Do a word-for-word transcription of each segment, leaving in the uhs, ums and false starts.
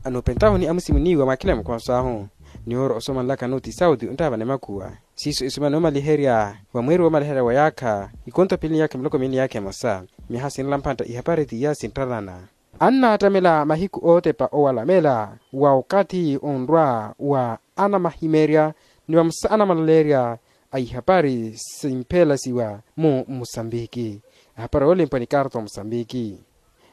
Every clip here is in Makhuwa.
Anupentahuni amusimuniwa mwakhila mukhoso ahu. Niworo osomanlaka nuti sauti onttaavana emakuwa. Siiso esumana omaliherya wa mweeri womaliherya wa yaakha ikonto pili ni yaakha miloko miili ni yaakha emosa. Miyaha sinrela mphantta ihapari tiya sinttalana. Annaattamela mahiku ootepa owalamela wa okathi onrwa wa anamahimerya ni vamosa anamalaleerya a ihapari simphelasiwa mu musambiki. Ehapari yoolempwa ni karta omusambiki.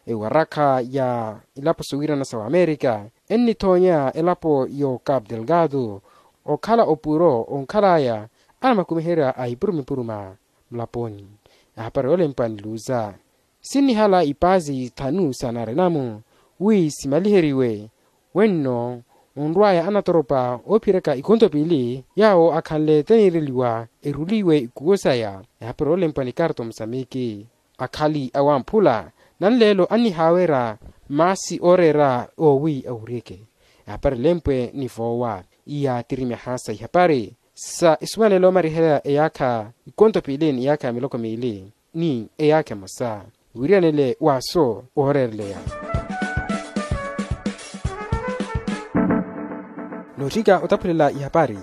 Ewarakha ya ilapo sowiirana sa wamerika ennithoonya elapo yo cape delgado okhala opuro onkhalaya anamakumiherya a ipuruma ipuruma mulaponi. Ahapari yoolempwa ni luza sinnihala ipaasi thanu sa narenamu wi simaliheriwe. Wenno onrwaya anatoropa oophiraka ikonto piili yaawo akhanle teniireliwa eruliwe ikuwo saya. Ehapari yoolempwa ni karta omusamiki akhali awamphula nanleelo annihaawerya maasi ooreera oowi awuryeke. Ehapari lempwe ni voowa iya tiri myaha sa ihapari sa esumanelo omariherya eyaakha ikonto piili ni eyaakha ya miloko miili ni eyaakha emosa. Wiriyanele waaso ooreereleya noottinka otaphulela ihapari.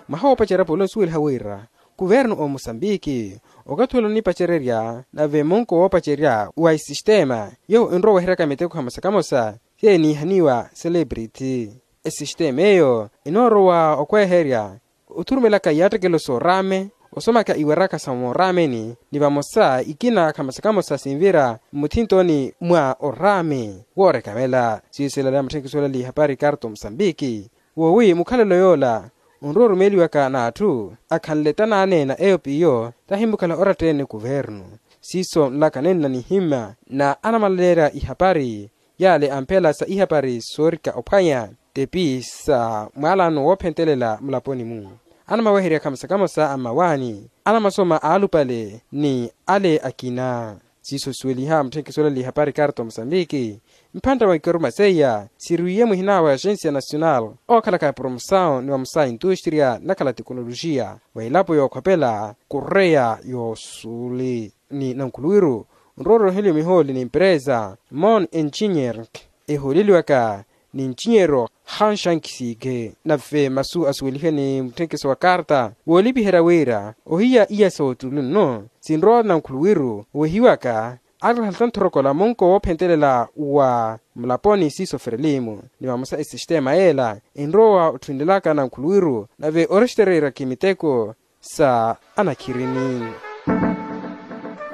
Mwaha woopacerya pula osuweliha wira kuvernu omusambiki okathi ole onipacererya nave munko woopacerya wa esistema yowo enrowa oweheryaka miteko hamosa kamosa seenihaniwa celebrity. Esistema eyo enoorowa okweherya othurumelaka iyaattekelo sooraame osomaka iwaraka sa mooraameni ni vamosa ikina khamosa kamosa sinvira mmuthintoni mwa oraame woorekamela siiso elaleya mutthenkisi olali ihapari karto musambiki. Woowi mukhalelo yoola onrowa orumeeliwaka n'atthu akhanle tanaaneena eyo p'iyo tahimmukhala oratta-ene kuvernu. Siiso nlaka nenna nihimma na anamalaleerya ihapari yaale amphela sa ihapari soorika ophwanya tepi sa mwaalano woophentelela mulaponi-mu anamaweherya khamosa kamosa a mmawaani anamasoma aalupale ni ale akina. Siiso sisuweliha mutthenkisi olali ihapari karto musambiki mphantta mwa ikaruma seiya siriwiye muhina wa agensia nasional ookhalaka promosaw ni vamosa intustriya nnakhala tekonolojiya wa elapo yookhopela koreya yoosuli ni nankhuluwiru nrowa orooheliwe mihooli ni emperesa mon engineering ehooleliwaka ni ncinyero hanshankisiikhe. Nave masu asuwelihe ni mutthenkeso wa karta woolipiherya wira ohiya iya sa ottulu nno sinrowa nankhuluwiru owehiwaka arihalitta nthorokola munko woophentelela wa mulaponi siiso ferelimu ni vamosa esistema yeela enrowa otthuwelelaka nankhuluwiru nave orestereerya-khi miteko sa anakhirini.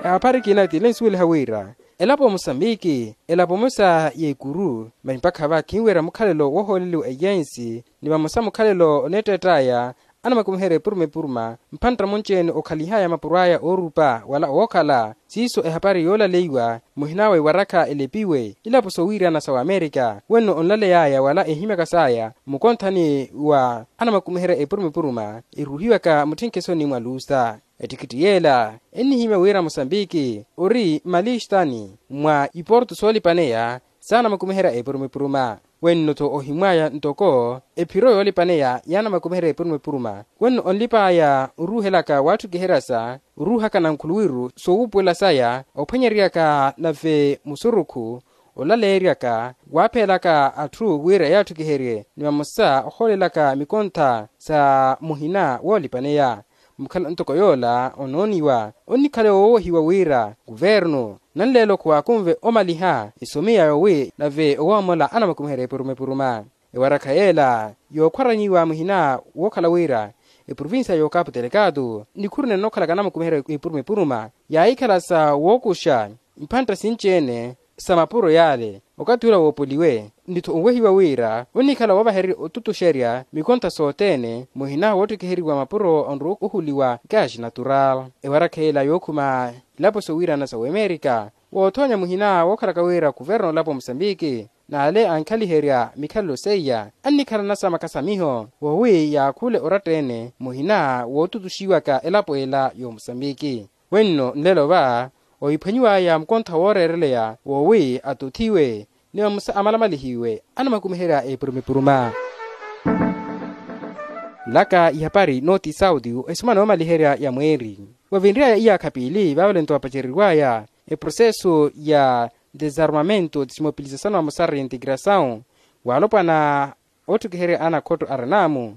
Ehapari ekina tile nsuweliha wira elapo musambiki elapo emosa y'ekuru mani mpakha va khinwerya mukhalelo woohooleliwa eyensi ni vamosa mukhalelo oneetteett'aya anamakumiherya epuruma epuruma mphantta munci-ene okhalihaya mapuro aya oorupa wala owookhala. Siiso ehapari yoolaleiwa muhina wa ewarakha elepiwe ilapo sowiirana sa wamerika wenno onlaley'aya wala ehimyaka saya mukonthani wa anamakumiherya epuruma epuruma eruhiwaka mutthenkhesoni mwa lusa. Ettikitthi yeela ennihimya wira musambiki ori mmalistani mwa iporto soolipaneya saanamakumiherya epuruma epuruma. Wenno-tho ohimw'aya ntoko ephiro yoolipaneya yaanamakumiherya epuruma epuruma wenno onlip'aya oruuhelaka waatthukiheryasa oruuhaka nankhuluwiru soowuupuwela saya ophwanyeryaka nave musurukhu olaleeryaka waaphelaka atthu wira yaatthukiherye ni vamosa ohoolelaka mikontha sa muhina woolipaneya. Mukhala ntoko yoola onooniwa onnikhala yoowohiwa wira kuvernu nanleelo khuwaakunve omaliha esomi ya yoowi nave owoomola anamakumiherya epuruma epuruma. Ewarakha yeela yookhwaranyiwa muhina wookhala wira eprovinsiya y'okapu telekatu nikhuru nennookhalaka anamakumiherya epuruma epuruma yaahikhala sa wookuxa mphantta sinci-ene sa mapuro yaale okathi ula woopoliwe nitho onwehiwa wira onnikhala woovahererya otutuxerya mikontha sothene muhina woottikiheriwa mapuro onrowa ohuliwa gaz natural. Ewarakha yeela yookhuma ilapo sowiirana sa wemerika woothoonya muhina wookhalaka wira kuverno olapo musambiki n'ale ankhaliherya mikhalelo seiya annikhala nasamaka sa miho woowi yaakhule oratta-ene muhina wootutuxiwaka elapo ela y'omusambiki. Wenno nlelo va ohiphwanyiw'aya mukontha wooreereleya woowi atothiwe ni vamosa amalamalihiwe anamakumiherya epuruma epuruma. Nlaka ihapari nooti sauti esumana yoomaliherya ya mweeri wavinry'aya iyaakha piili vaavalento vapacereriw'aya eproseso ya desarmamento desmobilisasaw vamosa reintegrasaw Waalopwana oottukiherya anakhotto arin'amu,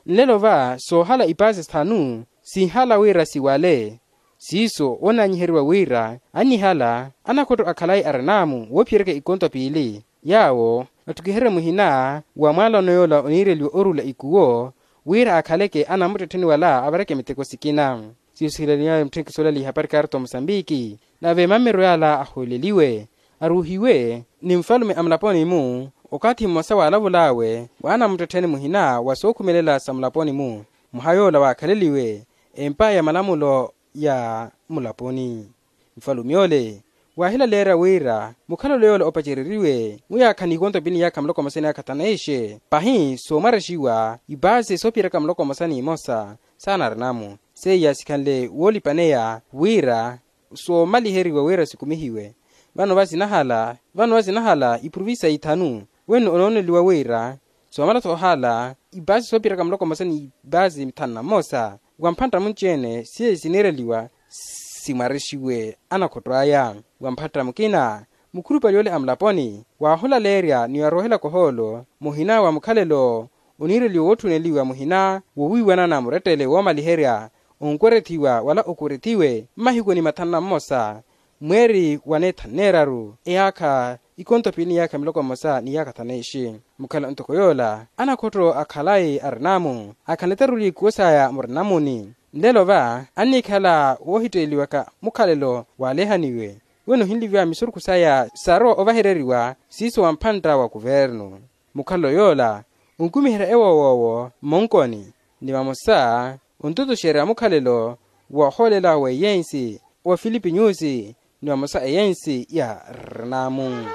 nlelo va soohala ipaasi sithanu sinhala wira siwale. Siiso onnaanyiheriwa wira annihala anakhotto akhalayi arin'amu woophiyeryaka ikonto piili yaawo attukiherye muhina wa mwaalano yoola oniireliwa oruula ikuwo wira akhaleke anamuttettheni wala avareke miteko sikina. Siiso sihilanyiwe mutthenkisi olali ihapari karto musambiki nave mammiro yala ahooleliwe aruuhiwe ni nfalume a mulaponi-mu okathi mmosa waalavul'awe wa anamuttettheni muhina wa sookhumelela sa mulaponi-mu mwaha yoola waakhaleliwe empa ya malamulo ya mulaponi. Nfalume ole waahilaleerya wira mukhalelo yoola opacereriwe muyaakha n'ikonto piili ni yaakha muloko mmosa ni yaakha thaneixe pahi soomwarexiwa ipaasi soophiyeryaka muloko mmosa n'imosa saana arinamu seiya sikhanle woolipaneya wira soomaliheriwa wira sikumihiwe. Vano vasinahala vano vasinahala iprovincia ithanu wenno onooneliwa wira soomala thoohala ipaasi soophiyeryaka muloko mmosa ni ipaasi thanu na mmosa wa mphantta munci-ene siye siniireliwa simwarexiwe anakhotto aya. Wa mphantta mukina mukhulupale ole a mulaponi waahulaleerya ni waroohelaka ohoolo muhina wa mukhalelo oniireliwa wootthuneliwa muhina wowiiwanana murettele woomaliherya onkwerethiwa wala okwerethiwe mmahikuni mathanu na mmosa mweeri wa neetha nneeraru eyaakha ikonto piili ni yaakha miloko mmosa ni yaakha thaneixe. Mukhala ntoko yoola anakhotto akhalayi arin'amu akhanle taruli ikuwo saya murinamuni nlelo va annikhala woohitteeliwaka mukhalelo waalehaniwe weno ohinliviwa misurukhu saya sarowa ovahereriwa siiso wa mphantta wa kuvernu. Mukhalelo yoola onkumiherya ewoowoowo mmonkoni ni vamosa ontutuxerya mukhalelo woohoolela wa eyensi wa filipinyusi ni vamosa eyensi ya rinamu.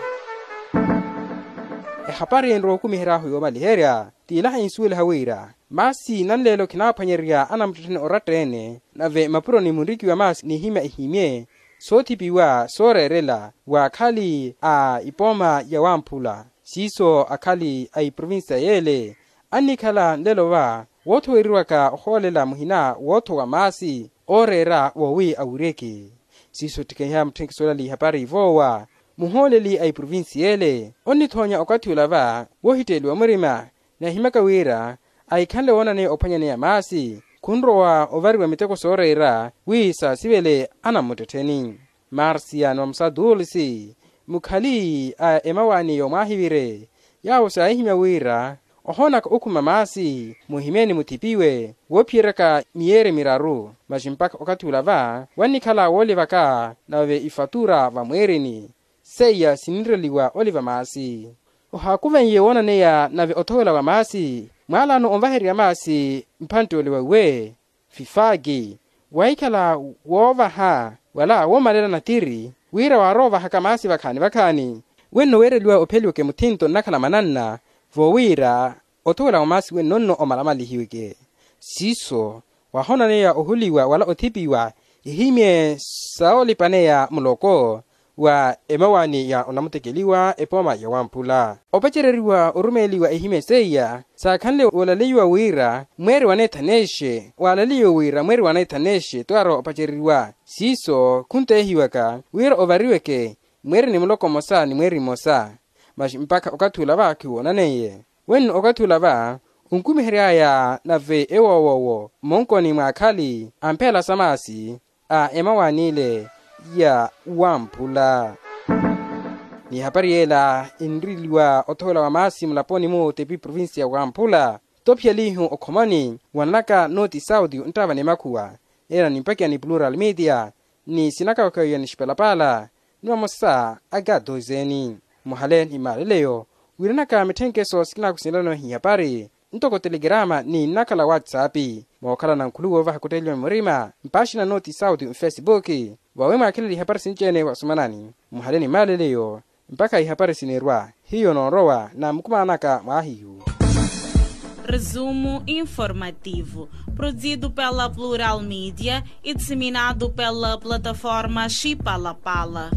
Ehapari enrowa okumihery'ahu yoomaliherya t'ilaha insuweliha wira maasi nanleelo khinaaphwanyererya anamuttettheni oratta-ene nave mapuroni munrikiwa maasi n'ihimya ihimye soothipiwa sooreerela w'akhali a ipooma ya wamphula siiso akhali a iprovincia y'ele annikhala nlelo va woothoweriwaka ohoolela muhina woothowa maasi ooreera wowi awiryeke. Siiso ottikeiha mutthenkisi olali ihapari ivoowa muhooleli a iprovincia y'ele onnithoonya okathi ula va woohitteeliwa murima nahimyaka wira ahikhanle woonaneya ophwanyaneya maasi khunrowa ovariwa miteko sooreera wi saasivele anammuttettheni. Marcia ni vamosa dulce mukhali a emawaani yoomwaahivire yaawo saahihimya wira ohoonaka okhuma maasi muhimye ni muthipiwe woophiyeryaka miyeeri miraru masi mpakha okathi ula va wannikhala woolivaka nave ifatura vamweerini seiya siniireliwa oliva maasi. Ohaakuvenye woonaneya nave othowela wa maasi mwaalaano onvahererya maasi mphantte ole wa uwe fifaki wahikhala woovaha wala woomalela natiri wira waarowa ovahaka maasi vakhaani vakhaani wenno weereliwa opheliweke muthinto nnakhala mananna vowiira othowela wa maasi wenno nno omalamalihiweke. Siiso wahoonaneya ohuliwa wala othipiwa ihimye soolipaneya muloko wa emawaani ya onamutekeliwa epooma ya wamphula opacereriwa orumeeliwa ihimye seiya saakhanle woolalaiwa wira mweeri wa neethaneexe waalaliwe wira mweeri wa neethaneexe twaarowa opacereriwa siiso khunteehiwaka wira ovariweke mweeri ni muloko mmosa ni mweeri mmosa. Masi mpakha okathi ula va khiwoonaneiye wenno okathi ula va onkumihery'aya nave ewoowoowo mmonkoni mw'akhali a mphela sa maasi a emawaani ile ya wamphula. N'ihapari y'ela enriliwa othowela wa maasi mulaponi-mu tepi provincia wamphula toophiyelihu okhomani wananaka nooti sauti onttaava ni makhuwa. Ela nimpakiya ni plural media ni sinakawakawiya ni xipalapaala ni vamosa a katozeni muhale ni maaleleyo wiiranaka mitthenkeso sikinakusinelano hihapari ntoko telegirama ni nnakhala whatsapp mookhala na nkhuluwi woovaha kutteeliwa murima mpaaxina nooti sauti mfesipuki vawi mwaakhelele ihapari sinci-ene wasumanani muhale ni maaleleyo mpakha ihapari siniirwa hiyo noorowa na mukumanaka mwaahiyu. Resumo informativo, produzido pela Plural Mídia e disseminado pela plataforma Xipalapala.